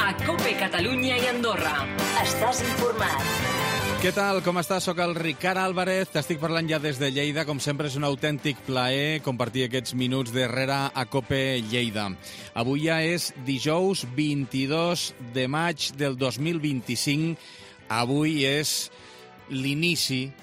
a COPE Catalunya i Andorra. Estàs informat. Què tal? Com estàs? Soc el Ricard Álvarez. T'estic parlant ja des de Lleida. Com sempre, és un autèntic plaer compartir aquests minuts darrere a COPE Lleida. Avui ja és dijous 22 de maig del 2025. Avui és l'inici,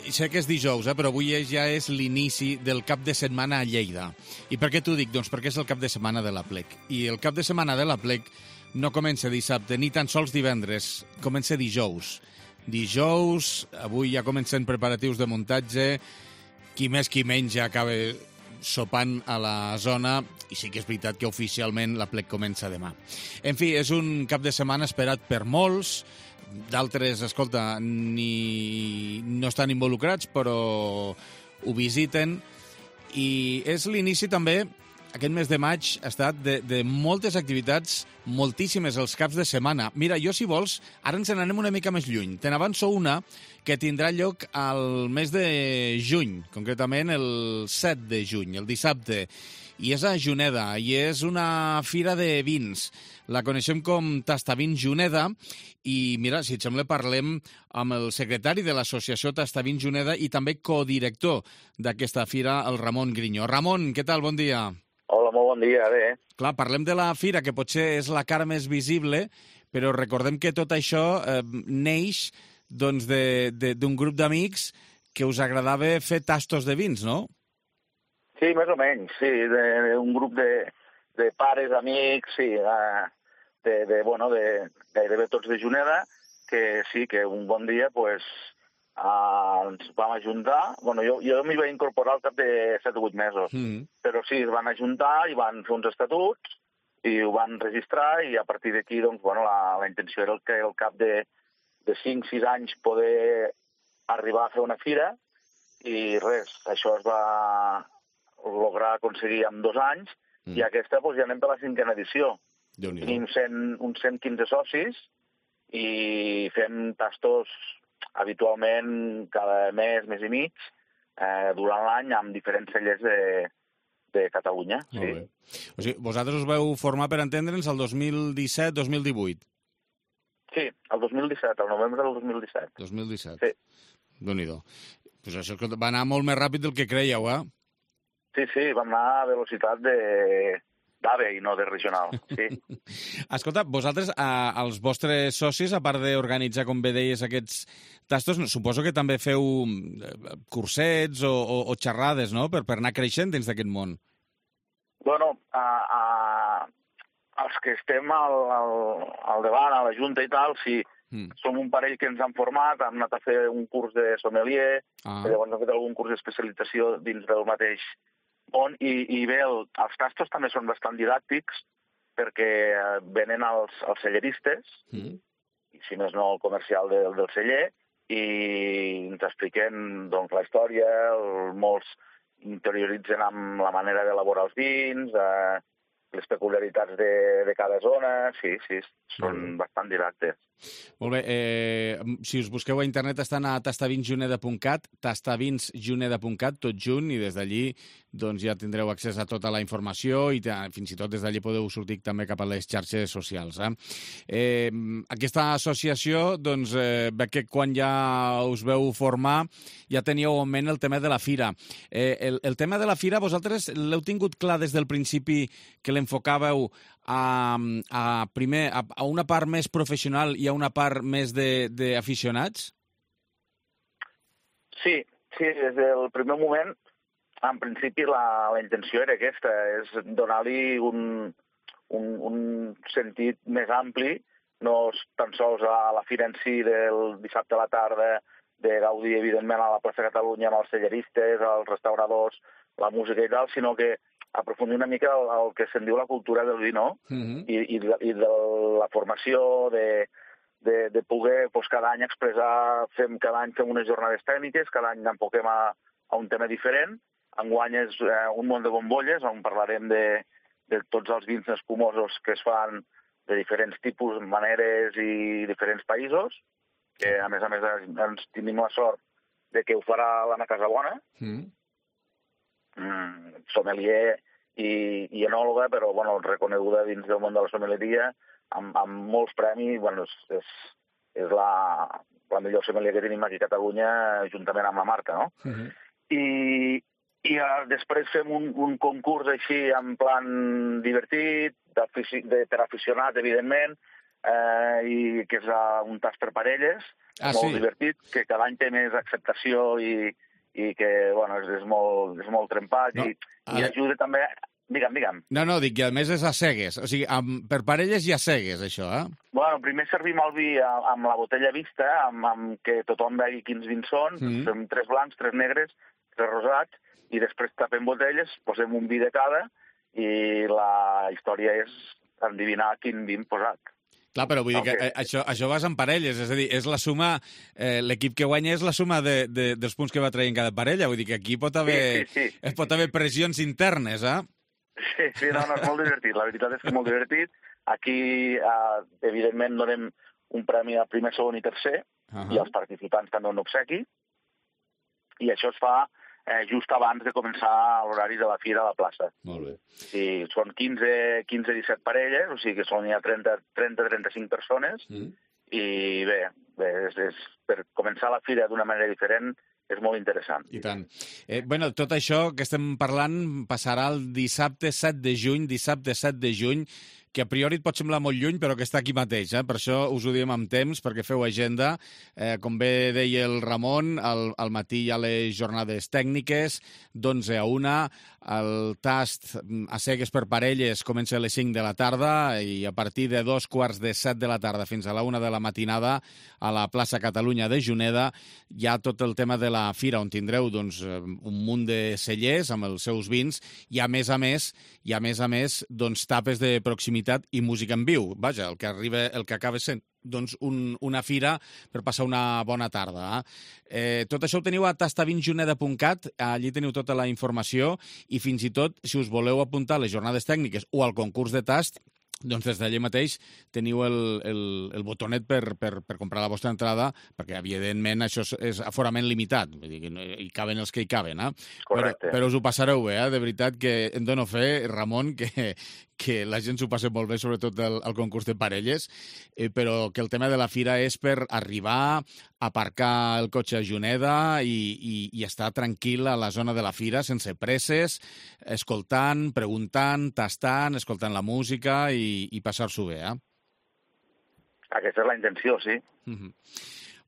sé que és dijous, però avui ja és l'inici del cap de setmana a Lleida. I per què t'ho dic? Doncs perquè és el cap de setmana de l'Aplec. I el cap de setmana de l'Aplec no comença dissabte, ni tan sols divendres, comença dijous. Dijous, avui ja comencen preparatius de muntatge, qui més qui menys ja acaba sopant a la zona, i sí que és veritat que oficialment l'Aplec comença demà. En fi, és un cap de setmana esperat per molts, d'altres, escolta, no estan involucrats, però ho visiten, i és l'inici també, aquest mes de maig ha estat de moltes activitats, moltíssimes els caps de setmana. Mira, jo, si vols, ara ens n'anem una mica més lluny. Te n'avanço una que tindrà lloc al mes de juny, concretament el 7 de juny, el dissabte, i és a Juneda, i és una fira de vins. La coneixem com Tastavins Juneda, i mira, si et sembla, parlem amb el secretari de l'associació Tastavins Juneda i també codirector d'aquesta fira, el Ramon Grinyó. Ramon, què tal? Bon dia. Hola, molt bon dia, bé. Clar, parlem de la fira, que potser és la cara més visible, però recordem que tot això neix doncs, d'un grup d'amics que us agradava fer tastos de vins, no? Sí, més o menys, sí, un grup de pares, amics, sí, de gairebé tots de Juneda, que sí, que un bon dia pues, ens vam ajuntar. Bueno, jo m'hi vaig incorporar al cap de 7 o 8 mesos, però sí, es van ajuntar i van fer uns estatuts i ho van registrar, i a partir d'aquí doncs, bueno, la intenció era que al cap de 5-6 anys poder arribar a fer una fira, i res, això es va lograr aconseguir en 2 anys, i aquesta doncs, ja anem per la 5a edició. Tenim uns 115 socis i fem tastos habitualment cada mes i mig, durant l'any, amb diferents cellers de Catalunya. Sí. O sigui, vosaltres us veu formar, per entendre'ns, el 2017-2018? Sí, el 2017, el novembre del 2017. 2017. Sí. Déu-n'hi-do. Pues això va anar molt més ràpid del que creieu, eh? Sí, vam anar a velocitat d'AVE i no de regional, sí. Escolta, vosaltres, els vostres socis, a part d'organitzar, com bé deies, aquests tastos, suposo que també feu cursets o xerrades, no?, per anar creixent dins d'aquest món. Bueno, els que estem al davant, a la Junta i tal, sí, som un parell que ens han format, hem anat a fer un curs de sommelier, llavors hem fet algun curs d'especialització dins del mateix món, i bé, els tastos també són bastant didàctics, perquè venen els celleristes, i si més no el comercial del celler, i ens expliquen doncs, la història, molts interioritzen amb la manera d'elaborar els vins, les peculiaritats de cada zona, sí, són bastant didàctics. Molt bé, si us busqueu a internet estan a tastavinsjuneda.cat, tastavinsjuneda.cat, tot junt, i des d'allí doncs, ja tindreu accés a tota la informació i fins i tot des d'allí podeu sortir també cap a les xarxes socials. Aquesta associació, doncs, veig que quan ja us veu formar ja teníeu en ment el tema de la fira. El tema de la fira vosaltres l'heu tingut clar des del principi que l'enfocàveu primer a una part més professional i a una part més d'aficionats? Sí, des del primer moment, en principi la intenció era aquesta, és donar-li un sentit més ampli, no tan sols a la fira en si del dissabte a la tarda, de gaudir, evidentment, a la plaça Catalunya amb els celleristes, els restauradors, la música i tal, sinó que aprofundir una mica el que se'n diu la cultura del vi, no? I de la formació, de poder cada any expressar, cada any fem unes jornades tècniques, cada any enfoquem a un tema diferent. Enguany és un món de bombolles, on parlarem de tots els vins espumosos que es fan de diferents tipus, maneres i diferents països, que a més ens tenim la sort de que ho farà l'Anna Casabona, sommelier i enòloga, però bueno, reconeguda dins del món de la sommeleria, amb molts premis. Bueno, és la millor sommelier que tenim aquí a Catalunya, juntament amb la Marta, no? I després fem un concurs així en plan divertit, per aficionat, evidentment, i que és un tast per parelles, molt divertit, que cada any té més acceptació i que bueno, és molt trempat i ajuda també... Digue'm. No, dic que a més és a cegues. O sigui, per parelles i a cegues, això, eh? Bueno, primer servim el vi amb la botella vista, amb que tothom vegi quins vins són. Fem 3 blancs, 3 negres, 3 rosats, i després tapem botelles, posem un vi de cada, i la història és endevinar quin vi hem posat. Clar, però vull dir que això vas en parelles, és a dir, és la suma, l'equip que guanya és la suma dels punts que va traient cada parella, vull dir que aquí pot haver pressions internes, eh? Sí, no, és molt divertit, la veritat és que és molt divertit. Aquí, evidentment, donem un premi a primer, segon i tercer, i els participants també un obsequi, i això es fa just abans de començar l'horari de la fira a la plaça. Molt bé. Sí, són 15-17 parelles, o sigui que són ja 30-35 persones, i bé, per començar la fira d'una manera diferent és molt interessant. I tant. Bueno, tot això que estem parlant passarà el dissabte 7 de juny, que a priori et pot semblar molt lluny, però que està aquí mateix. Per això us ho diem amb temps, perquè feu agenda. Com bé deia el Ramon, al matí hi ha les jornades tècniques, d'11 a 1. El tast a cegues per parelles comença a les 5 de la tarda i a partir de 2:45 de la tarda fins a la 1 de la matinada a la plaça Catalunya de Juneda hi ha tot el tema de la fira, on tindreu un munt de cellers amb els seus vins i a més a més tapes de proximitat i música en viu. Vaja, el que acaba sent una fira per passar una bona tarda. Tot això ho teniu a tastavinsjuneda.cat, allí teniu tota la informació i fins i tot, si us voleu apuntar a les jornades tècniques o al concurs de tast, doncs des d'allà mateix teniu el botonet per comprar la vostra entrada, perquè evidentment això és aforament limitat, vull dir que hi caben els que hi caben, Correcte. Però us ho passareu bé, de veritat que em dono fe, Ramon, que la gent s'ho passa molt bé, sobretot al concurs de parelles, però que el tema de la fira és per arribar, aparcar el cotxe a Juneda i estar tranquil a la zona de la fira, sense presses, escoltant, preguntant, tastant, escoltant la música i passar-s'ho bé, Aquesta és la intenció, sí.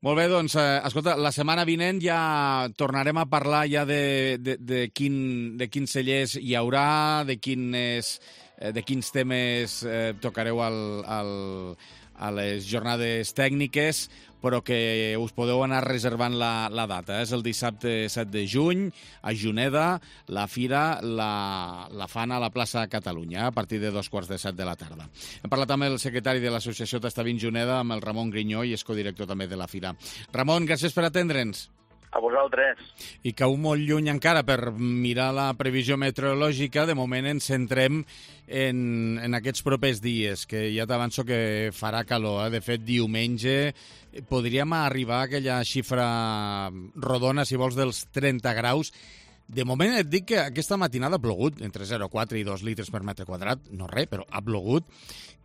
Molt bé, doncs, escolta, la setmana vinent ja tornarem a parlar ja de quins cellers hi haurà, de quins temes tocareu a les jornades tècniques, però que us podeu anar reservant la data. És el dissabte 7 de juny, a Juneda. La fira la fan a la plaça Catalunya, a partir de 2:45 de la tarda. Hem parlat amb el secretari de l'associació Tastavins Juneda, amb el Ramon Grinyó, i és codirector també de la fira. Ramon, gràcies per atendre'ns. A vosaltres. I cau molt lluny encara per mirar la previsió meteorològica. De moment ens centrem en aquests propers dies, que ja t'avanço que farà calor. De fet, diumenge podríem arribar a aquella xifra rodona, si vols, dels 30 graus. De moment et dic que aquesta matinada ha plogut, entre 0,4 i 2 litres per metre quadrat, no res, però ha plogut,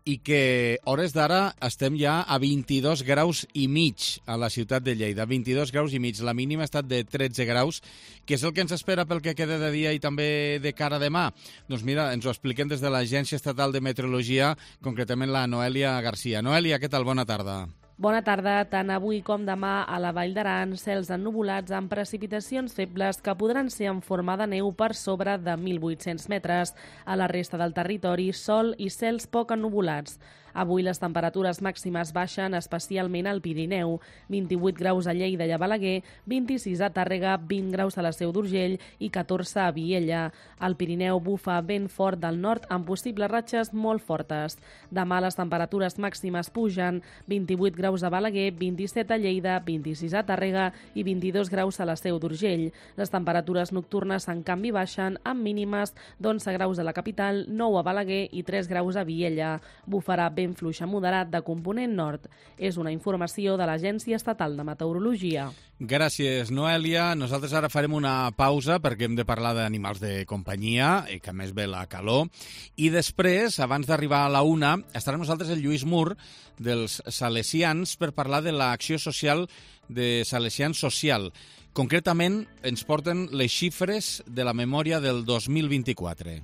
i que hores d'ara estem ja a 22 graus i mig a la ciutat de Lleida. 22 graus i mig. La mínima ha estat de 13 graus, que és el que ens espera pel que queda de dia i també de cara a demà. Doncs mira, ens ho expliquem des de l'Agència Estatal de Meteorologia, concretament la Noèlia Garcia. Noèlia, què tal? Bona tarda. Bona tarda. Tant avui com demà a la Vall d'Aran, cels ennuvolats amb precipitacions febles que podran ser en forma de neu per sobre de 1.800 metres. A la resta del territori, sol i cels poc ennuvolats. Avui les temperatures màximes baixen especialment al Pirineu. 28 graus a Lleida i a Balaguer, 26 a Tàrrega, 20 graus a la Seu d'Urgell i 14 a Viella. Al Pirineu bufa vent fort del nord amb possibles ratxes molt fortes. Demà les temperatures màximes pugen, 28 graus a Balaguer, 27 a Lleida, 26 a Tàrrega i 22 graus a la Seu d'Urgell. Les temperatures nocturnes en canvi baixen amb mínimes d'11 graus a la capital, 9 a Balaguer i 3 graus a Viella. Bufarà vent vent fluix a moderat de component nord. És una informació de l'Agència Estatal de Meteorologia. Gràcies, Noèlia. Nosaltres ara farem una pausa perquè hem de parlar d'animals de companyia, que a més ve la calor. I després, abans d'arribar a la 1, estarà amb nosaltres el Lluís Mur dels Salesians per parlar de l'acció social de Salesians Social. Concretament, ens porten les xifres de la memòria del 2024.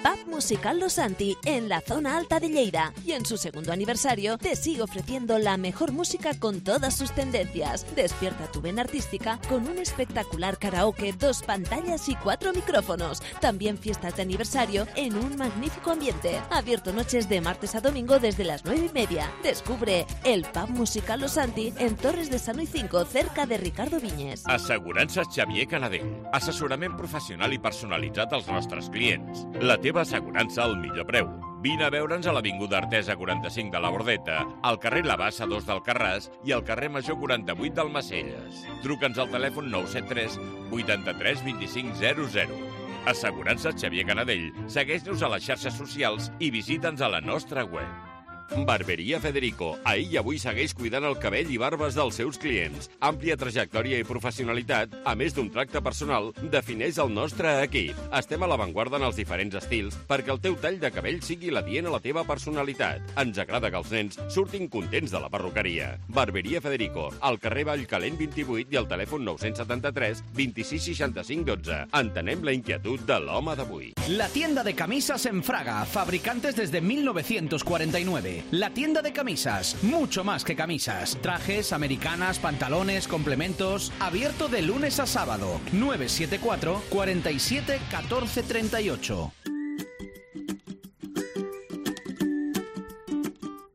Pub Musical Los Santi, en la zona alta de Lleida. Y en su segundo aniversario te sigue ofreciendo la mejor música con todas sus tendencias. Despierta tu vena artística con un espectacular karaoke, 2 pantallas y 4 micrófonos. También fiestas de aniversario en un magnífico ambiente. Abierto noches de martes a domingo desde las 9:30. Descubre el Pub Musical Los Santi en Torres de Sano y 5, cerca de Ricardo Viñes. Assegurances Xavier Canadell. Assessorament professional i personalitzat als nostres clients. La teva assegurança al millor preu. Vine a veure'ns a l'Avinguda Artesa 45 de la Bordeta, al carrer La Bassa 2 d'Alcarràs i al carrer Major 48 d'Almacelles. Truca'ns al telèfon 973 83 25 00. Assegurances Xavier Canadell. Segueix-nos a les xarxes socials i visita'ns a la nostra web. Barberia Federico. Ahir i avui segueix cuidant el cabell i barbes dels seus clients. Àmplia trajectòria i professionalitat, a més d'un tracte personal, defineix el nostre equip. Estem a l'avantguarda en els diferents estils perquè el teu tall de cabell sigui l'adient a la teva personalitat. Ens agrada que els nens surtin contents de la perruqueria. Barberia Federico, al carrer Vallcalent 28 i al telèfon 973 26 65 12. Entenem la inquietud de l'home d'avui. La tienda de camisas en Fraga, fabricantes desde 1949. La tienda de camisas, mucho más que camisas. Trajes, americanas, pantalones, complementos. Abierto de lunes a sábado. 974 47 14 38.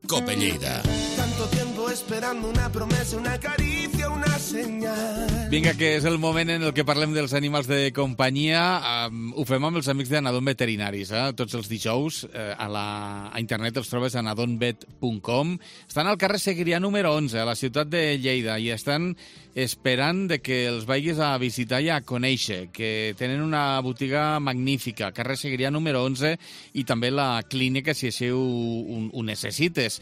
Cope Lleida. Tanto tiempo esperando una promesa, una caricia, una señal. Vinga, que és el moment en el que parlem dels animals de companyia. Ho fem amb els amics d'Anadon Veterinaris. Tots els dijous a internet els trobes a anadonvet.com. Estan al carrer Segrià número 11, a la ciutat de Lleida, i estan esperant de que els vagis a visitar i a conèixer, que tenen una botiga magnífica, carrer Segrià número 11, i també la clínica, si així ho necessites.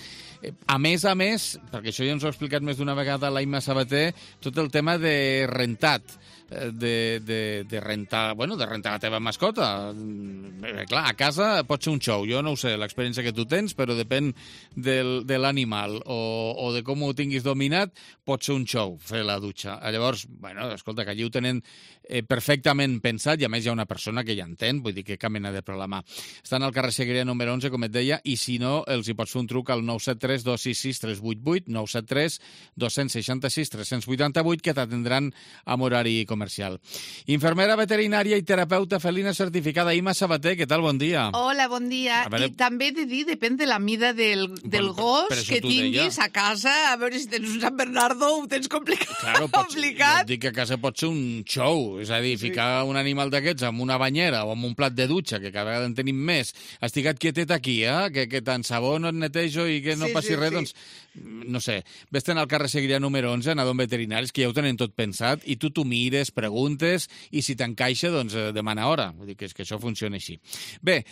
A més, perquè això ja ens ho ha explicat més d'una vegada l'Aima Sabater, tot el tema de rentat, de rentar la teva mascota. Clar, a casa pot ser un show, jo no ho sé, l'experiència que tu tens, però depèn de l'animal o de com ho tinguis dominat, pot ser un show fer la dutxa. Llavors, escolta, que allí ho tenen perfectament pensat, i a més hi ha una persona que ja entén, vull dir que cap mena de problema. Estan al carrer Segrià número 11, com et deia, i si no, els hi pots fer un truc al 973 266 388, 973 266 388, que t'atendran amb horari comercial. Infermera veterinària i terapeuta felina certificada, Ima Sabater, què tal? Bon dia. Hola, bon dia. I també he de dir, depèn de la mida del gos que tinguis a casa, a veure si tens un Sant Bernardo ho tens complicat. Claro, jo dic que a casa pot ser un show, és a dir, ficar un animal d'aquests amb una banyera o amb un plat de dutxa, que cada vegada en tenim més. Estiga't quietet aquí, que tant sabó no et netejo i que no passi res, doncs, no sé, vés-te'n al carrer Segrià número 11, Anadon Veterinaris, que ja ho tenen tot pensat, i tu t'ho mires, preguntes, i si t'encaixa, doncs demana hora. Vull dir que això funciona així. Bé,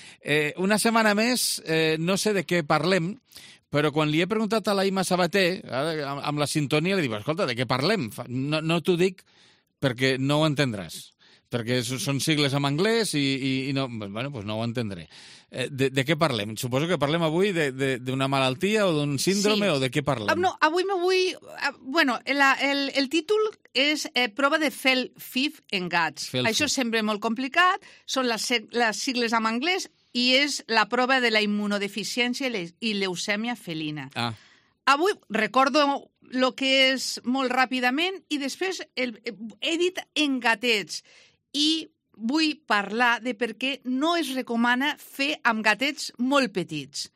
una setmana més, no sé de què parlem, però quan li he preguntat a la Ima Sabater, amb la sintonia, li dic, escolta, de què parlem? No t'ho dic perquè no ho entendràs, perquè són sigles en anglès i no, doncs no ho entendré. De què parlem? Suposo que parlem avui d'una malaltia o d'un síndrome, o de què parlem? No, avui el títol és prova de FELFIF en gats. Això sembla molt complicat, són les sigles en anglès, i és la prova de la immunodeficiència i leucèmia felina. Avui recordo el que és molt ràpidament, i després he dit en gatets, i vull parlar de per què no es recomana fer amb gatets molt petits.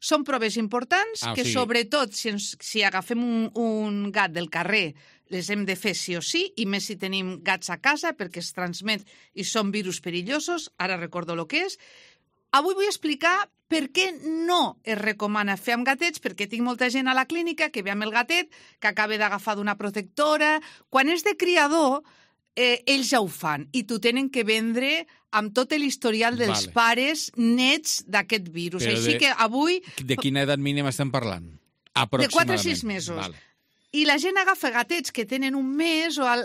Són proves importants que, sobretot, si agafem un gat del carrer, les hem de fer sí o sí, i més si tenim gats a casa, perquè es transmet i són virus perillosos. Ara recordo el que és. Avui vull explicar per què no es recomana fer amb gatets, perquè tinc molta gent a la clínica que ve amb el gatet, que acaba d'agafar d'una protectora. Quan és de criador, ells ja ho fan i t'ho tenen que vendre amb tot l'historial dels pares nets d'aquest virus. Així que avui... De quina edat mínima estem parlant? De 4 a 6 mesos. Vale. I la gent agafa gatets que tenen un mes o a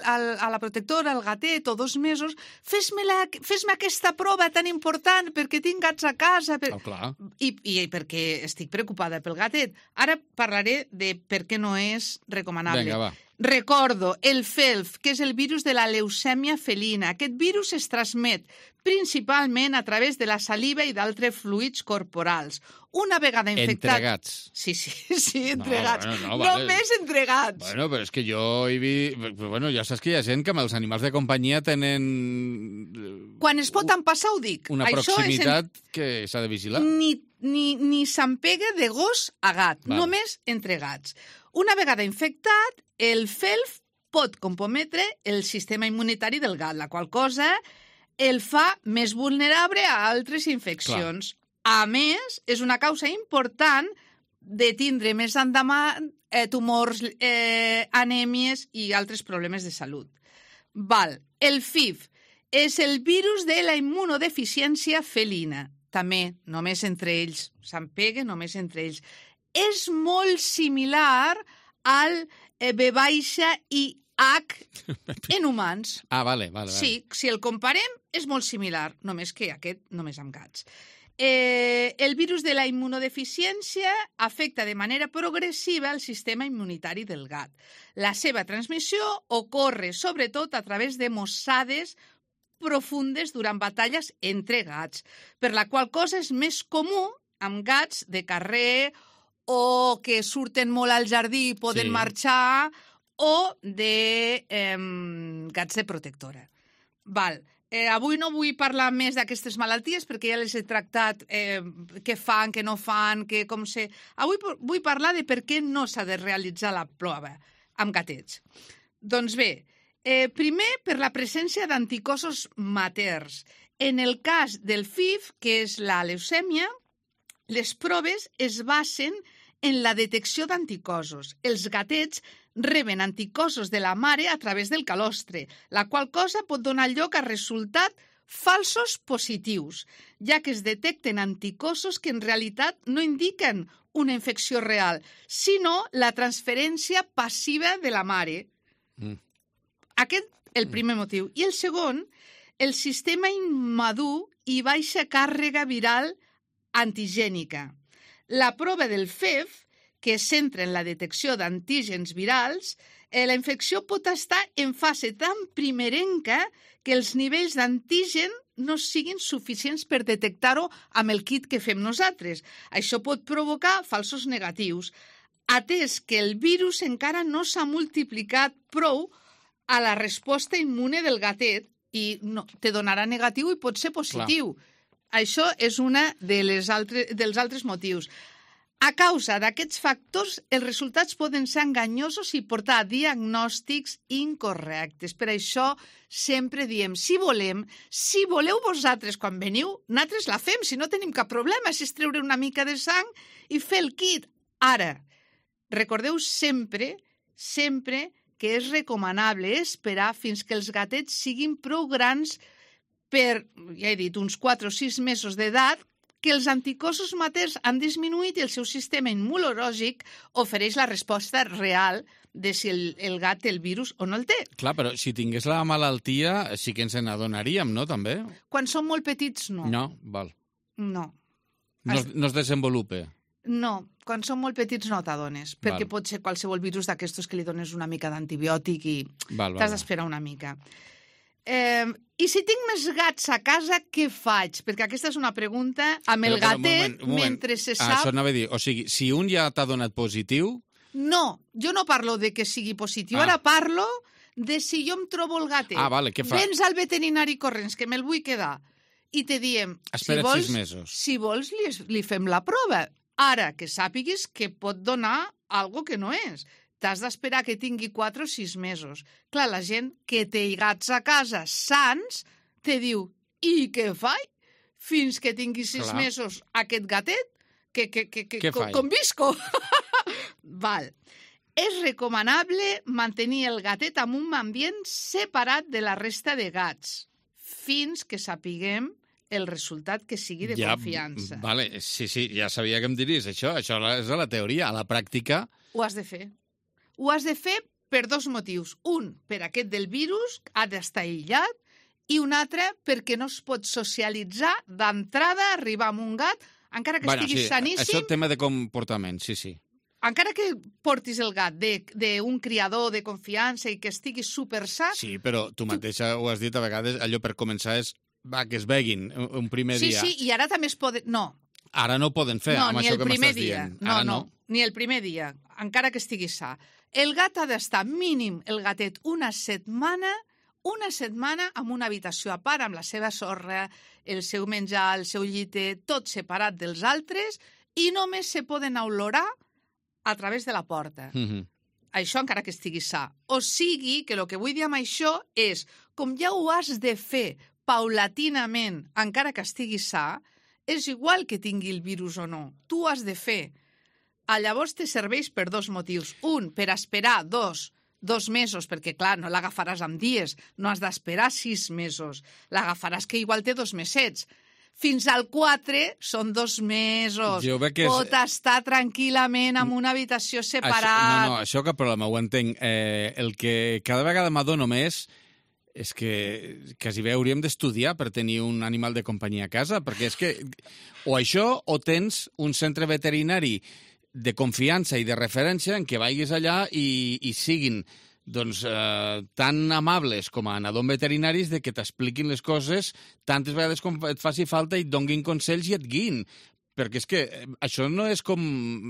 la protectora, el gatet, o 2 mesos, fes-me aquesta prova tan important perquè tinc gats a casa. Clar. I perquè estic preocupada pel gatet. Ara parlaré de per què no és recomanable. Vinga, va. Recordo el FELF, que és el virus de la leucèmia felina. Aquest virus es transmet principalment a través de la saliva i d'altres fluids corporals. Una vegada infectat... Entre gats. Sí, entre gats. No, vale. Només entre gats. Bueno, però és que jo he vist... Bueno, ja saps que hi ha gent que amb els animals de companyia tenen... Quan es pot empassar, ho dic. Una proximitat que s'ha de vigilar. Ni s'empega de gos a gat, només entre gats. Una vegada infectat, el FELF pot comprometre el sistema immunitari del gat, la qual cosa el fa més vulnerable a altres infeccions. Clar. A més, és una causa important de tindre més endavant tumors, anèmies i altres problemes de salut. El FIV és el virus de la immunodeficiència felina. També, només entre ells. S'empega només entre ells. És molt similar al VIH en humans. Vale. Sí, si el comparem, és molt similar, només que aquest només amb gats. El virus de la immunodeficiència afecta de manera progressiva el sistema immunitari del gat. La seva transmissió ocorre sobretot a través de mossades profundes durant batalles entre gats, per la qual cosa és més comú amb gats de carrer o que surten molt al jardí i poden marxar, o de gats de protectora. Avui no vull parlar més d'aquestes malalties perquè ja les he tractat, què fan, què no fan, Avui vull parlar de per què no s'ha de realitzar la prova amb gatets. Doncs bé, primer per la presència d'anticossos materns. En el cas del FIV, que és la leucèmia, les proves es basen en la detecció d'anticossos. Els gatets reben anticossos de la mare a través del calostre, la qual cosa pot donar lloc a resultats falsos positius, ja que es detecten anticossos que en realitat no indiquen una infecció real, sinó la transferència passiva de la mare. Aquest és el primer motiu. I el segon, el sistema immadur i baixa càrrega viral antigènica. La prova del FEV, que es centra en la detecció d'antígens virals, la infecció pot estar en fase tan primerenca que els nivells d'antigen no siguin suficients per detectar-ho amb el kit que fem nosaltres. Això pot provocar falsos negatius, atès que el virus encara no s'ha multiplicat prou a la resposta immune del gatet i te donarà negatiu i pot ser positiu. Clar. Això és un dels altres motius. A causa d'aquests factors, els resultats poden ser enganyosos i portar a diagnòstics incorrectes. Per això sempre diem, si voleu vosaltres quan veniu, nosaltres la fem, si no tenim cap problema, si és treure una mica de sang i fer el kit. Ara, recordeu sempre que és recomanable esperar fins que els gatets siguin prou grans per, ja he dit, uns 4 o 6 mesos d'edat, que els anticossos materns han disminuït i el seu sistema immunològic ofereix la resposta real de si el gat té el virus o no el té. Clar, però si tingués la malaltia sí que ens n'adonaríem, no, també? Quan són molt petits, no. No, val. No. No es desenvolupa. No, quan són molt petits no t'adones, perquè pot ser qualsevol virus d'aquestos que li dones una mica d'antibiòtic i t'has d'esperar una mica. I si tinc més gats a casa, què faig? Perquè aquesta és una pregunta amb el gatet, mentre se sap... Això anava a dir, o sigui, si un ja t'ha donat positiu... No, jo no parlo de que sigui positiu, ara parlo de si jo em trobo el gatet. Vale, què fa? Vens al veterinari corrents, que me'l vull quedar, i te diem... Espera't 6 mesos. Si vols, li fem la prova. Ara, que sàpiguis que pot donar algo que no és. T'has d'esperar que tingui 4 o 6 mesos. Clar, la gent que té gats a casa sants te diu, i què faig? Fins que tingui 6 mesos aquest gatet? Com visco? Val. És recomanable mantenir el gatet en un ambient separat de la resta de gats, fins que sapiguem el resultat que sigui de confiança. Vale, sí, ja sabia que em diries això. Això és a la teoria. A la pràctica... Ho has de fer. Ho has de fer per dos motius. Un, per aquest del virus, ha d'estar aïllat, i un altre, perquè no es pot socialitzar d'entrada, arribar amb un gat, encara que estigui saníssim... Això és tema de comportament, sí. Encara que portis el gat d'un criador de confiança i que estigui supersa... Sí, però tu mateixa ho has dit a vegades, allò per començar és que es veguin un primer dia. Sí, i ara també es poden... No. Ara no ho poden fer, amb això que m'estàs dient. No, ni el primer dia, encara que estigui sa. El gat ha d'estar mínim, el gatet, una setmana en una habitació a part, amb la seva sorra, el seu menjar, el seu lliter, tot separat dels altres, i només se poden olorar a través de la porta. Això encara que estigui sa. O sigui, que el que vull dir amb això és, com ja ho has de fer paulatinament, encara que estigui sa, és igual que tingui el virus o no. Tu ho has de fer. Llavors te serveix per dos motius. Un, per esperar dos mesos, perquè, clar, no l'agafaràs en dies, no has d'esperar 6 mesos. L'agafaràs que igual té 2 mesets. Fins al 4 són 2 mesos. Pot estar tranquil·lament en una habitació separada. Això cap problema, ho entenc. El que cada vegada m'adono més és que quasi bé hauríem d'estudiar per tenir un animal de companyia a casa, perquè és que o això o tens un centre veterinari de confiança i de referència en què vagis allà i siguin tan amables com a anadons veterinaris de que t'expliquin les coses tantes vegades com et faci falta i et donguin consells i et guiïn. Perquè és que això no és com...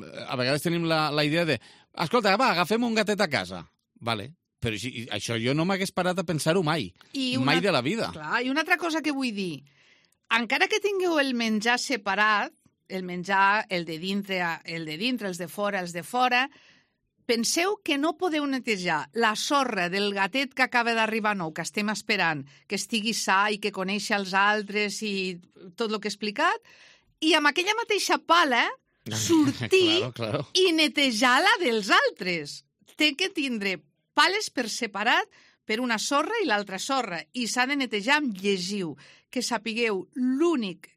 A vegades tenim la idea de escolta, va, agafem un gatet a casa. Vale, però això jo no m'hagués parat a pensar-ho mai. Mai de la vida. Clar, i una altra cosa que vull dir. Encara que tingueu el menjar separat, el menjar, el de dintre, els de fora, penseu que no podeu netejar la sorra del gatet que acaba d'arribar nou, que estem esperant, que estigui sa i que coneixi els altres i tot el que he explicat, i amb aquella mateixa pala sortir i netejar la dels altres. Té que tindre pales per separat per una sorra i l'altra sorra, i s'ha de netejar amb llegiu, que sapigueu l'únic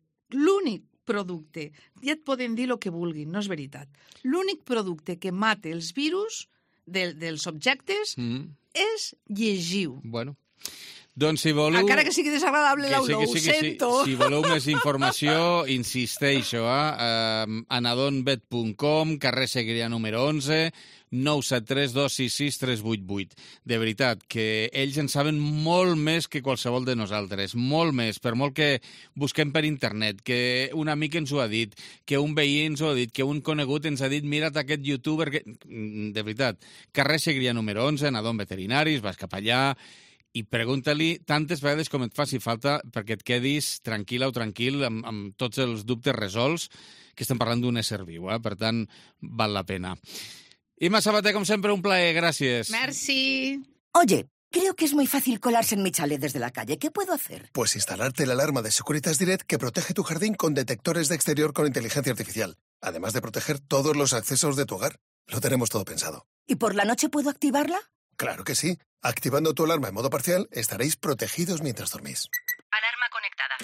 producte, ja et poden dir el que vulguin, no és veritat. L'únic producte que mata els virus dels objectes és llegiu. Bueno, doncs si voleu... Encara que sigui desagradable l'olor, ho sento. Si voleu més informació, insisteixo, anadonvet.com, carrer Segrià número 11, 973 266 388. De veritat, que ells en saben molt més que qualsevol de nosaltres, molt més, per molt que busquem per internet, que un amic ens ho ha dit, que un veí ens ho ha dit, que un conegut ens ha dit, mira't aquest youtuber... De veritat, carrer Segrià número 11, Anadon Veterinaris, vas cap allà i pregunta-li tantes vegades com et faci falta perquè et quedis tranquil·la o tranquil amb tots els dubtes resolts, que estem parlant d'un ésser viu, per tant, val la pena. Imma Sabater, como siempre, un placer. Gracias. Merci. Oye, creo que es muy fácil colarse en mi chalet desde la calle. ¿Qué puedo hacer? Pues instalarte la alarma de Securitas Direct que protege tu jardín con detectores de exterior con inteligencia artificial. Además de proteger todos los accesos de tu hogar. Lo tenemos todo pensado. ¿Y por la noche puedo activarla? Claro que sí. Activando tu alarma en modo parcial, estaréis protegidos mientras dormís. Alarma conectada.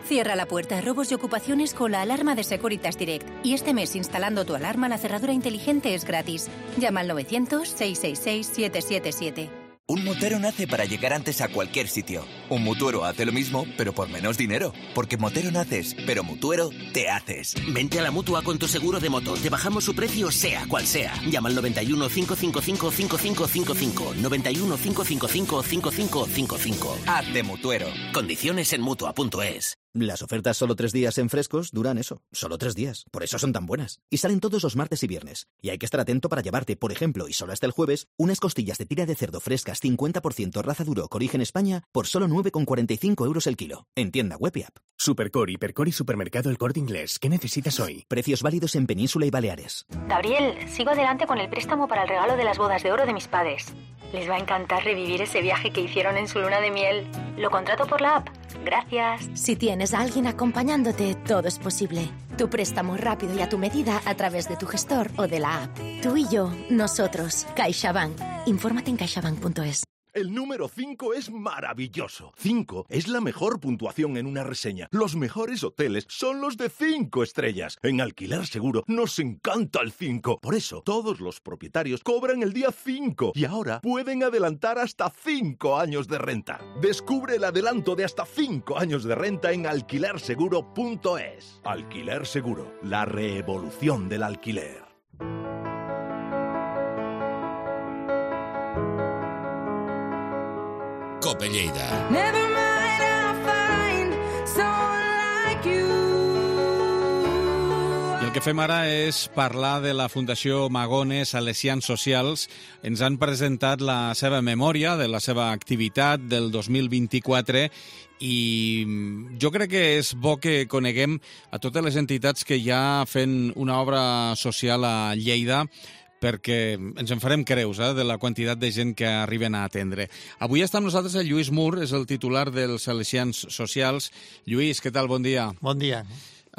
Cierra la puerta a robos y ocupaciones con la alarma de Securitas Direct. Y este mes, instalando tu alarma, la cerradura inteligente es gratis. Llama al 900-666-777. Un motero nace para llegar antes a cualquier sitio. Un mutuero hace lo mismo, pero por menos dinero. Porque motero naces, pero mutuero te haces. Vente a la Mutua con tu seguro de moto. Te bajamos su precio sea cual sea. Llama al 91 555 5555. 91 555 5555. Hazte mutuero. Condiciones en Mutua.es. Las ofertas solo 3 días en Frescos duran eso, solo 3 días. Por eso son tan buenas. Y salen todos los martes y viernes. Y hay que estar atento para llevarte, por ejemplo, y solo hasta el jueves, unas costillas de tira de cerdo frescas 50% raza Duroc origen España por solo 9,45 € el kilo. En tienda web y app. Supercore, Hipercor y Supermercado El Corte Inglés. ¿Qué necesitas hoy? Precios válidos en Península y Baleares. Gabriel, sigo adelante con el préstamo para el regalo de las bodas de oro de mis padres. Les va a encantar revivir ese viaje que hicieron en su luna de miel. Lo contrato por la app. Gracias. Si tienes a alguien acompañándote, todo es posible. Tu préstamo rápido y a tu medida a través de tu gestor o de la app. Tú y yo, nosotros. CaixaBank. Infórmate en caixabank.es. El número 5 es maravilloso. 5 es la mejor puntuación en una reseña. Los mejores hoteles son los de 5 estrellas. En Alquiler Seguro nos encanta el 5. Por eso, todos los propietarios cobran el día 5 y ahora pueden adelantar hasta 5 años de renta. Descubre el adelanto de hasta 5 años de renta en alquilerseguro.es. Alquiler Seguro, la revolución del alquiler. Cope Lleida. I el que fem ara és parlar de la Fundació Magone Salesians Socials. Ens han presentat la seva memòria de la seva activitat del 2024 i jo crec que és bo que coneguem a totes les entitats que ja fent una obra social a Lleida, perquè ens en farem creus de la quantitat de gent que arriben a atendre. Avui està amb nosaltres el Lluís Mur, és el titular dels Salesians Socials. Lluís, què tal? Bon dia. Bon dia.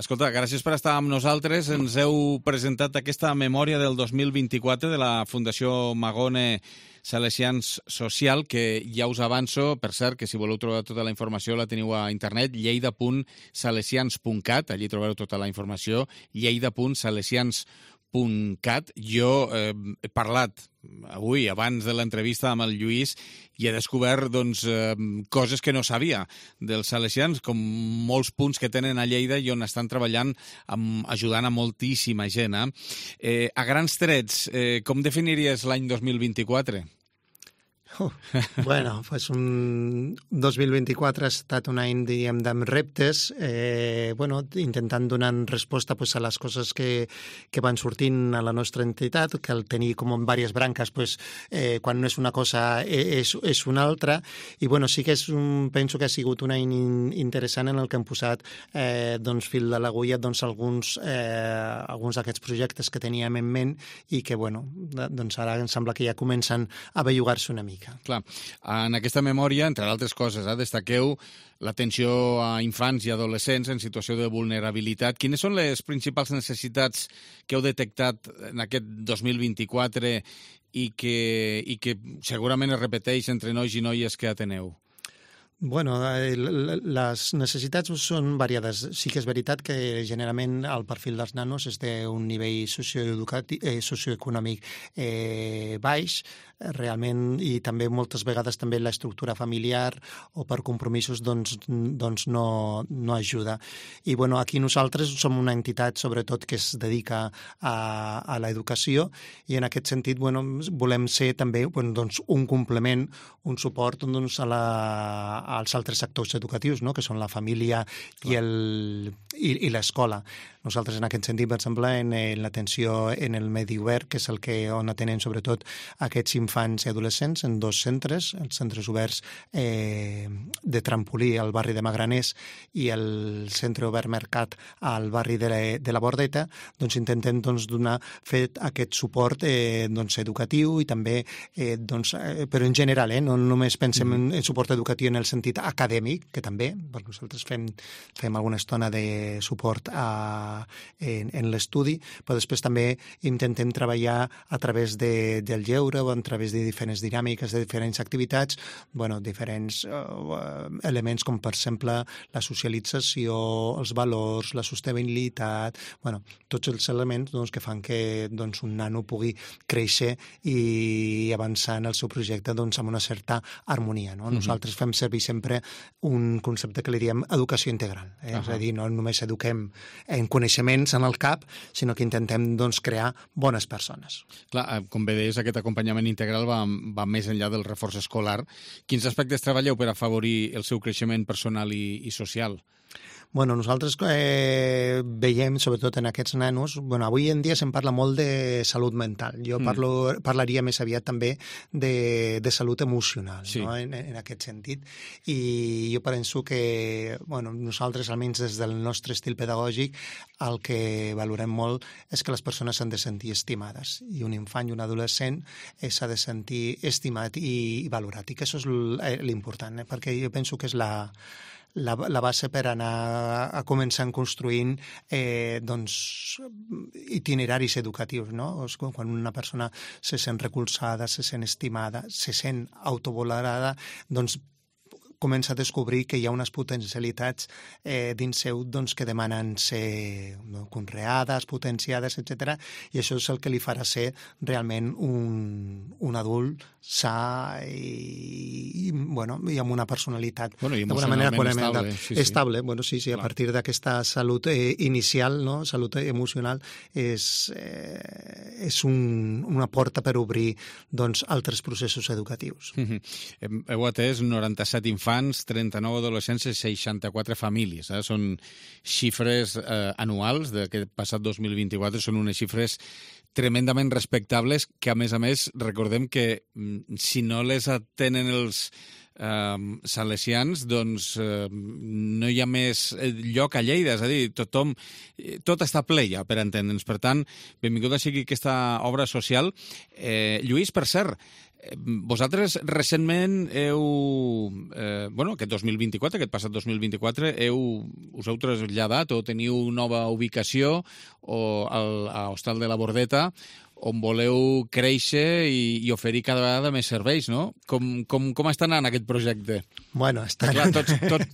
Escolta, gràcies per estar amb nosaltres. Ens heu presentat aquesta memòria del 2024 de la Fundació Magone Salesians Social, que ja us avanço, per cert, que si voleu trobar tota la informació la teniu a internet, lleida.salesians.cat, allí trobareu tota la informació, lleida.salesians.cat. Jo he parlat avui, abans de l'entrevista amb el Lluís, i he descobert coses que no sabia dels salesians, com molts punts que tenen a Lleida i on estan treballant ajudant a moltíssima gent. A grans trets, com definiries l'any 2024? Bueno, pues un 2024 ha estat un any, diríem, amb reptes, intentant donar resposta a les coses que van sortint a la nostra entitat, que al tenir com en diverses branques, quan no és una cosa és una altra, i sí que penso que ha sigut un any interessant en el que hem posat fil de l'agulla alguns d'aquests projectes que teníem en ment i que ara em sembla que ja comencen a bellugar-se una mica. Clar, en aquesta memòria, entre altres coses, destaqueu l'atenció a infants i adolescents en situació de vulnerabilitat. Quines són les principals necessitats que heu detectat en aquest 2024 i que segurament es repeteix entre nois i noies que ateneu? Bueno, les necessitats són variades. Sí que és veritat que generalment el perfil dels nanos és d'un nivell socioeconòmic baix, realment, i també moltes vegades també l'estructura familiar o per compromisos no ajuda. I aquí nosaltres som una entitat sobretot que es dedica a l'educació i en aquest sentit volem ser també un complement, un suport als altres sectors educatius, que són la família i l'escola. Nosaltres en aquest sentit, per exemple, en l'atenció en el medi obert, que és on atenen sobretot aquests infants i adolescents en 2 centres, els centres oberts de Trampolí al barri de Magraners i el centre obert Mercat al barri de la Bordeta, intentem fer aquest suport educatiu i també, però en general, no només pensem en suport educatiu en el sentit acadèmic, que també, perquè nosaltres fem alguna estona de suport en l'estudi, però després també intentem treballar a través del lleure o a través de diferents dinàmiques, de diferents activitats, diferents elements com, per exemple, la socialització, els valors, la sostenibilitat, tots els elements que fan que un nano pugui créixer i avançar en el seu projecte amb una certa harmonia. Nosaltres fem servir sempre un concepte que li diem educació integral. És a dir, no només eduquem en coneixements en el cap, sinó que intentem crear bones persones. Clar, com bé deies, aquest acompanyament integral va més enllà del reforç escolar. Quins aspectes treballeu per afavorir el seu creixement personal i social? Nosaltres veiem, sobretot en aquests nanos, avui en dia se'n parla molt de salut mental. Jo parlaria més aviat també de salut emocional, en aquest sentit. I jo penso que nosaltres, almenys des del nostre estil pedagògic, el que valorem molt és que les persones s'han de sentir estimades. I un infant i un adolescent s'ha de sentir estimat i valorat. I que això és l'important, perquè jo penso que és la la base per anar a començar construint itineraris educatius, no? Quan una persona se sent recolzada, se sent estimada, se sent autovalorada, doncs comença a descobrir que hi ha unes potencialitats dins seu que demanen ser conreades, potenciades, etc. I això és el que li farà ser realment un adult sa i amb una personalitat d'alguna manera estable. Bueno, sí, a partir d'aquesta salut inicial, no? Salut emocional, és una porta per obrir altres processos educatius. Heu atès 97 infants, 39 adolescents i 64 famílies. Són xifres anuals d'aquest passat 2024, són unes xifres tremendament respectables que, a més, recordem que si no les atenen els salesians, doncs no hi ha més lloc a Lleida, és a dir, tot està ple ja, per entendre'ns. Per tant, benvinguda sigui aquesta obra social. Lluís, per cert, vosaltres recentment aquest 2024, aquest passat 2024, us heu traslladat o teniu nova ubicació a Hostal de la Bordeta, on voleu créixer i oferir cada vegada més serveis, no? Com està anant aquest projecte? Bueno, està... Clar,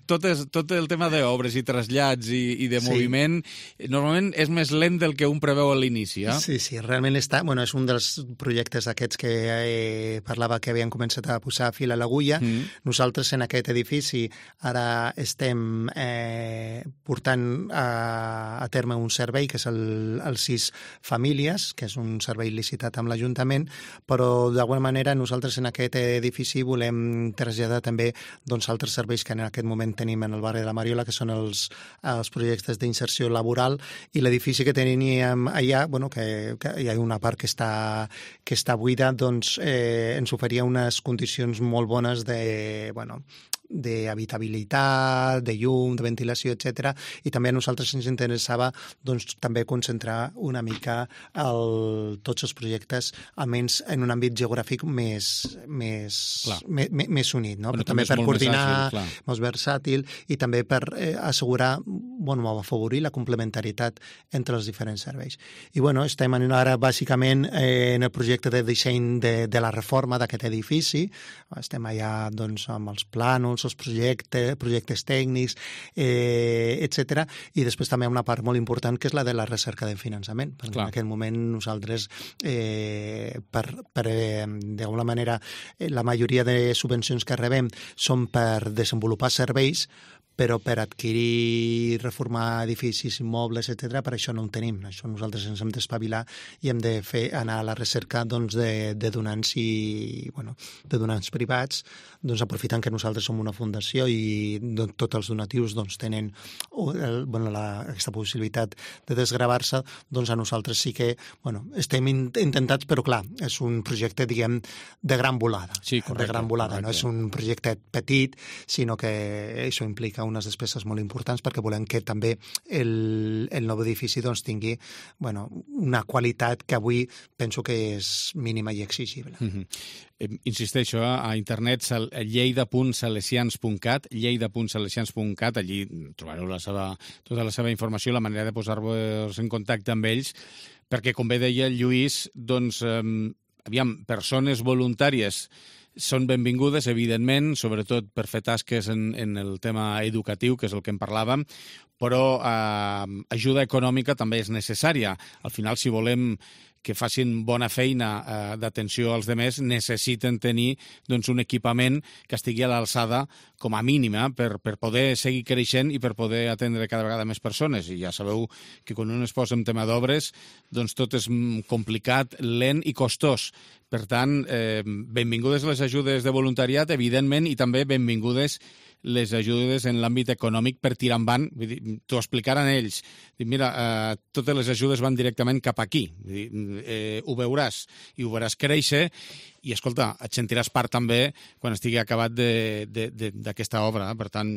tot el tema d'obres i trasllats i de moviment, normalment és més lent del que un preveu a l'inici, eh? Sí, realment està... Bueno, és un dels projectes aquests que parlava que havien començat a posar fil a l'agulla. Nosaltres en aquest edifici ara estem portant a terme un servei que és el 6 Famílies, que és un servei licitat amb l'Ajuntament, però d'alguna manera nosaltres en aquest edifici volem traslladar també altres serveis que en aquest moment tenim en el barri de la Mariola, que són els projectes d'inserció laboral, i l'edifici que teníem allà, que hi ha una part que està buida, doncs ens oferia unes condicions molt bones d'habitabilitat, de llum, de ventilació, etc. I també a nosaltres ens interessava també concentrar una mica tots els projectes, almenys en un àmbit geogràfic més unit, no? Però també per coordinar, més versàtil, i també per assegurar, afavorir la complementarietat entre els diferents serveis. I estem ara bàsicament en el projecte de disseny de la reforma d'aquest edifici. Estem allà amb els plànols, els projectes tècnics, etc. I després també una part molt important que és la de la recerca de finançament. Perquè en aquest moment nosaltres, d'alguna manera, la majoria de subvencions que rebem són per desenvolupar serveis, però per adquirir, reformar edificis, immobles, etc., per això no en tenim. Això nosaltres ens hem d'espavilar i hem de anar a la recerca de donants de donants privats, aprofitant que nosaltres som una fundació i tots els donatius tenen aquesta possibilitat de desgravar-se, a nosaltres sí que estem intentats, però clar, és un projecte, diguem, de gran volada. Sí, correcte. De gran volada, no és un projecte petit, sinó que això implica unes despeses molt importants perquè volem que també el nou edifici tingui una qualitat que avui penso que és mínima i exigible. Insisteixo, a internet lleida.salesians.cat, allí trobareu tota la seva informació, la manera de posar-vos en contacte amb ells, perquè, com bé deia el Lluís, persones voluntàries són benvingudes, evidentment, sobretot per fer tasques en el tema educatiu, que és el que en parlàvem, però ajuda econòmica també és necessària. Al final, si volem que facin bona feina d'atenció als demés, necessiten tenir un equipament que estigui a l'alçada com a mínima per poder seguir creixent i per poder atendre cada vegada més persones. I ja sabeu que quan un es posa en tema d'obres, tot és complicat, lent i costós. Per tant, benvingudes les ajudes de voluntariat, evidentment, i també benvingudes les ajudes en l'àmbit econòmic per tirar endavant. T'ho explicaran ells. Mira, totes les ajudes van directament cap aquí. Ho veuràs i ho veuràs créixer i, escolta, et sentiràs part també quan estigui acabat d'aquesta obra. Per tant,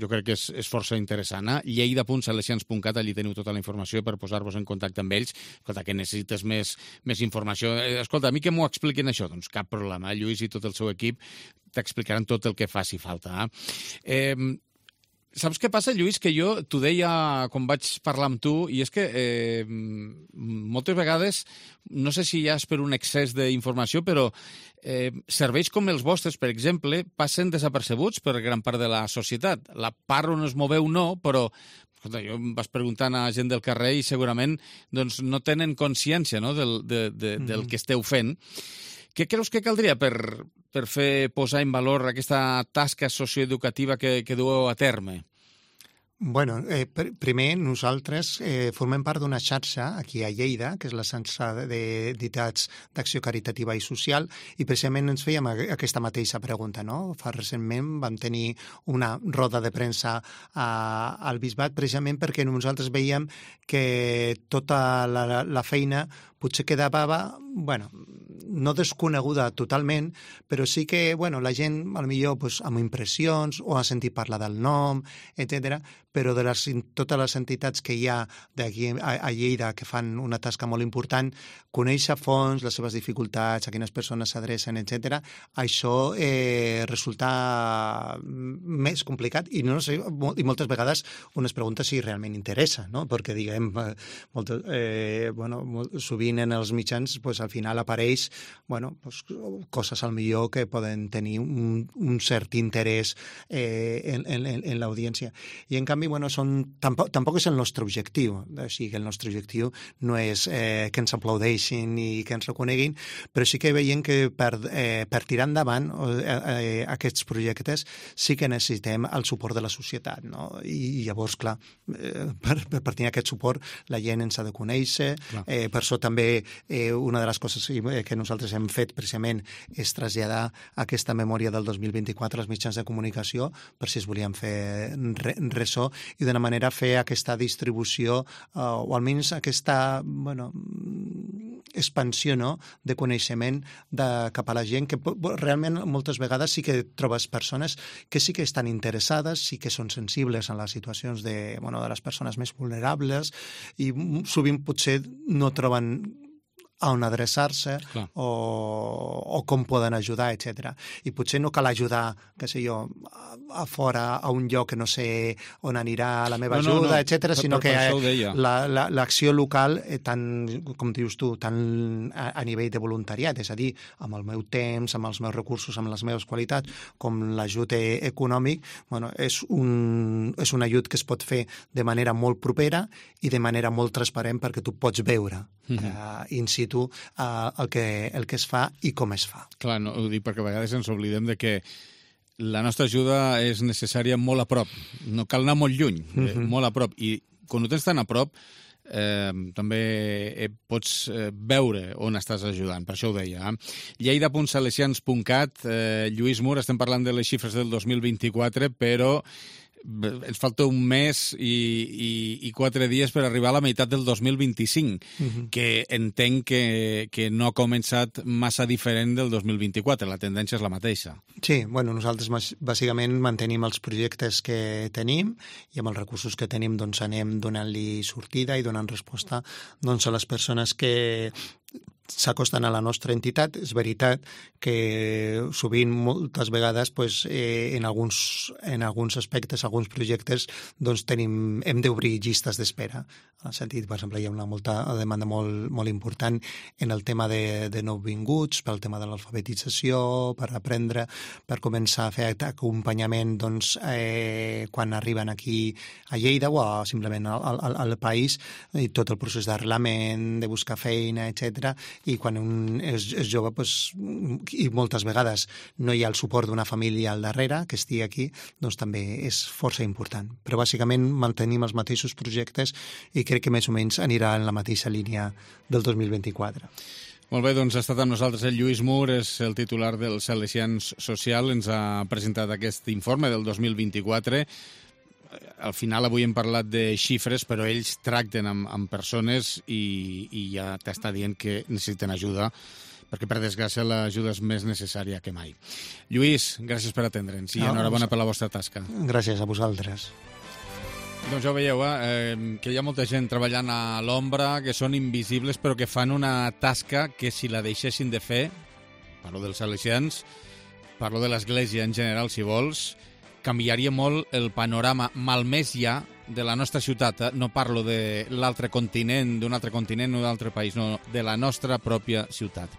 jo crec que és força interessant. lleida.salesians.cat, allí teniu tota la informació per posar-vos en contacte amb ells. Escolta, que necessites més informació. Escolta, a mi que m'ho expliquin això? Doncs cap problema. Lluís i tot el seu equip t'explicaran tot el que faci falta. Saps què passa, Lluís? Que jo t'ho deia quan vaig parlar amb tu, i és que moltes vegades, no sé si ja és per un excés d'informació, però serveis com els vostres, per exemple, passen desapercebuts per gran part de la societat. La part on es moveu no, però escolta, jo em vas preguntant a gent del carrer i segurament doncs, no tenen consciència, no, del que esteu fent. Què creus que caldria per fer posar en valor aquesta tasca socioeducativa que dueu a terme? Bueno, primer nosaltres formem part d'una xarxa aquí a Lleida, que és la xarxa d'entitats d'acció caritativa i social, i precisament ens fèiem aquesta mateixa pregunta, no? Fa recentment vam tenir una roda de premsa al Bisbat precisament perquè nosaltres veiem que tota la feina potser quedava, bueno, no desconeguda totalment, però sí que, bueno, la gent, potser pues, amb impressions o ha sentit parlar del nom, etc. Però de totes les entitats que hi ha d'aquí a Lleida que fan una tasca molt important, conèixer a fons les seves dificultats, a quines persones s'adrecen, etc. Això resulta més complicat i no sé, i moltes vegades un es pregunta si realment interessa, no? Perquè, diguem, sovint en els mitjans pues, al final apareix coses al millor que poden tenir un cert interès en l'audiència. I en canvi, tampoc és el nostre objectiu. O sigui, el nostre objectiu no és que ens aplaudeixin i que ens reconeguin, però sí que veiem que per tirar endavant aquests projectes sí que necessitem el suport de la societat, no? I llavors, clar, per tenir aquest suport la gent ens ha de conèixer. Per això també una de les coses que nosaltres hem fet precisament és traslladar aquesta memòria del 2024 als mitjans de comunicació per si es volien fer ressò i d'una manera fer aquesta distribució o almenys aquesta expansió, no?, de coneixement cap a la gent que realment moltes vegades sí que trobes persones que sí que estan interessades, sí que són sensibles a les situacions de les persones més vulnerables i sovint potser no troben a on adreçar-se o com poden ajudar, etc. I potser no cal ajudar, què sé jo, a fora, a un lloc que no sé on anirà la meva ajuda, etc., sinó que l'acció local, tant, com dius tu, tant a nivell de voluntariat, és a dir, amb el meu temps, amb els meus recursos, amb les meves qualitats, com l'ajut econòmic, és un ajut que es pot fer de manera molt propera i de manera molt transparent perquè tu pots veure in situ el que es fa i com es fa. Clar, no, ho dic perquè a vegades ens oblidem de que la nostra ajuda és necessària molt a prop. No cal anar molt lluny, molt a prop. I quan ho tens tan a prop, també pots veure on estàs ajudant, per això ho deia. Lleida.salesians.cat, Lluís Mur, estem parlant de les xifres del 2024, però ens falta un mes i 4 dies per arribar a la meitat del 2025, que entenc que no ha començat massa diferent del 2024, la tendència és la mateixa. Sí, nosaltres bàsicament mantenim els projectes que tenim i amb els recursos que tenim doncs anem donant-li sortida i donant resposta doncs, a les persones que s'acosten a la nostra entitat. És veritat que sovint, moltes vegades, en alguns aspectes, alguns projectes, doncs hem d'obrir llistes d'espera. En el sentit, per exemple, hi ha una demanda molt important en el tema de nouvinguts, pel tema de l'alfabetització, per aprendre, per començar a fer acompanyament quan arriben aquí a Lleida o simplement al país, i tot el procés d'arrelament, de buscar feina, etc. I quan un és jove, i moltes vegades no hi ha el suport d'una família al darrere que estigui aquí, doncs també és força important. Però bàsicament mantenim els mateixos projectes i crec que més o menys anirà en la mateixa línia del 2024. Molt bé, doncs ha estat amb nosaltres el Lluís Mur, és el titular del Salesians Social, ens ha presentat aquest informe del 2024. Al final avui hem parlat de xifres, però ells tracten amb persones i ja t'està dient que necessiten ajuda, perquè per desgràcia l'ajuda és més necessària que mai. Lluís, gràcies per atendre'ns i enhorabona per la vostra tasca. Gràcies a vosaltres. Doncs ja ho veieu, que hi ha molta gent treballant a l'ombra, que són invisibles, però que fan una tasca que si la deixessin de fer, parlo dels salesians, parlo de l'Església en general, si vols, canviaria molt el panorama malmès ja de la nostra ciutat. No parlo de l'altre continent, d'un altre continent o d'un altre país, no, de la nostra pròpia ciutat.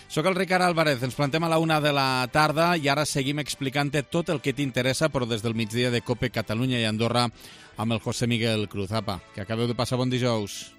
Soc el Ricard Álvarez, ens plantem a la 1 de la tarda i ara seguim explicant-te tot el que t'interessa, però des del migdia de COPE Catalunya i Andorra amb el José Miguel Cruz. Apa, que acabeu de passar bon dijous.